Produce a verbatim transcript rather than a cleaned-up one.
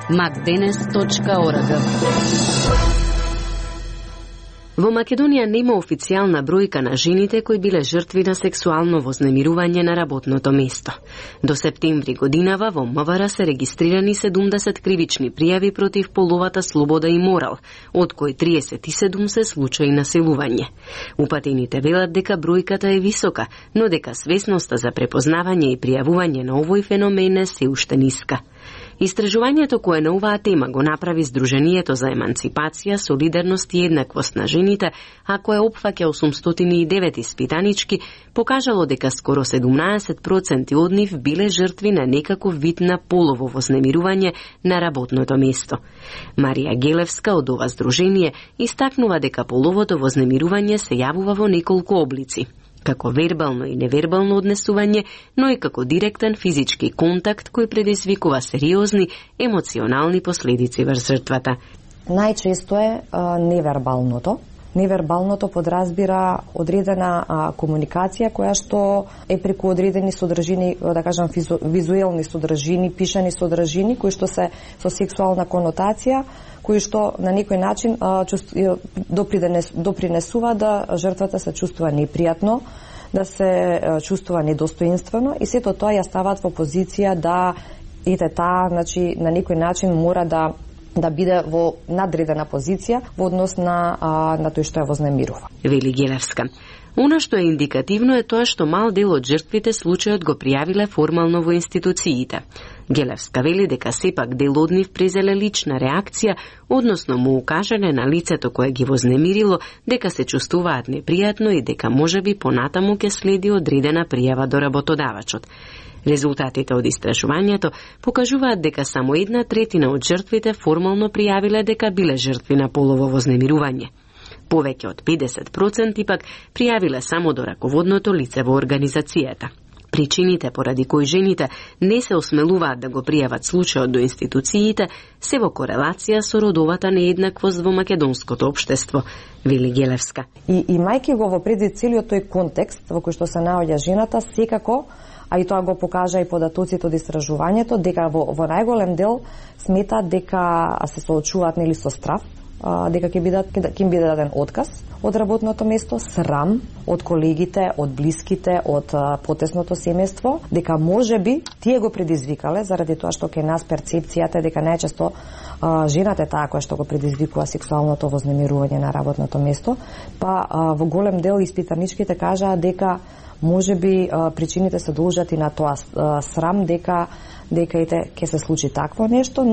макденес точка орг. Во Македонија нема официјална бројка на жените кои биле жртви на сексуално вознемирување на работното место. До септември годинава во МВР се регистрирани седумдесет кривични пријави против половата слобода и морал, од кои триесет и седум се случаи насилување. Упатените велат дека бројката е висока, но дека свесноста за препознавање и пријавување на овој феномен е се уште ниска. Истражувањето кое на оваа тема го направи Сдруженијето за еманципација, солидарност и еднаквост на жените, а кое опфаќа осумстотини и девет испитанички, покажало дека скоро седумнаесет проценти од нив биле жртви на некаков вид на полово вознемирување на работното место. Марија Гелевска од ова здружение истакнува дека половото вознемирување се јавува во неколку облици, како вербално и невербално однесување, но и како директен физички контакт кој предизвикува сериозни емоционални последици врз жртвата. Најчесто е а, невербалното. Невербалното подразбира одредена а, комуникација која што е преку одредени содржини, да кажам визу, визуелни содржини, пишани содржини кои што се со сексуална конотација, кои што на некој начин а, чувств, допринес, допринесува да жртвата се чувствува непријатно, да се а, чувствува недостоинствено и сето тоа ја стават во позиција да ете таа, значи на некој начин мора да да биде во надредена позиција во однос на а, на тој што ја вознемирува. Вели Гелевска. Она што е индикативно е тоа што мал дел од жртвите случајот го пријавиле формално во институциите. Гелевска вели дека сепак дел од нив презеле лична реакција, односно му укажале на лицето кое ги вознемирило дека се чувствуваат непријатно и дека можеби понатаму ќе следи одредена пријава до работодавачот. Резултатите од истражувањето покажуваат дека само една третина од жртвите формално пријавиле дека биле жртви на полово вознемирување. Повеќе од педесет проценти пак пријавиле само до раководното лице во организацијата. Причините поради кои жените не се осмелуваат да го пријават случајот до институциите се во корелација со родовата нееднаквост во македонското општество, вели Гелевска. И имајќи го во предвид целиот тој контекст во кој што се наоѓа жената, секако, а и тоа го покажа и податоците од истражувањето, дека во, во најголем дел сметаат дека се соочуваат нели со страв, дека ќе бидат ќе им биде даден отказ од работното место, срам од колегите, од блиските, од потесното семејство, дека можеби тие го предизвикале заради тоа што ке нас перцепцијата дека најчесто жената е таа која што го предизвикува сексуалното вознемирување на работното место, па во голем дел испитаничките кажаа дека можеби причините се должат и на тоа срам дека дека ете ќе се случи такво нешто.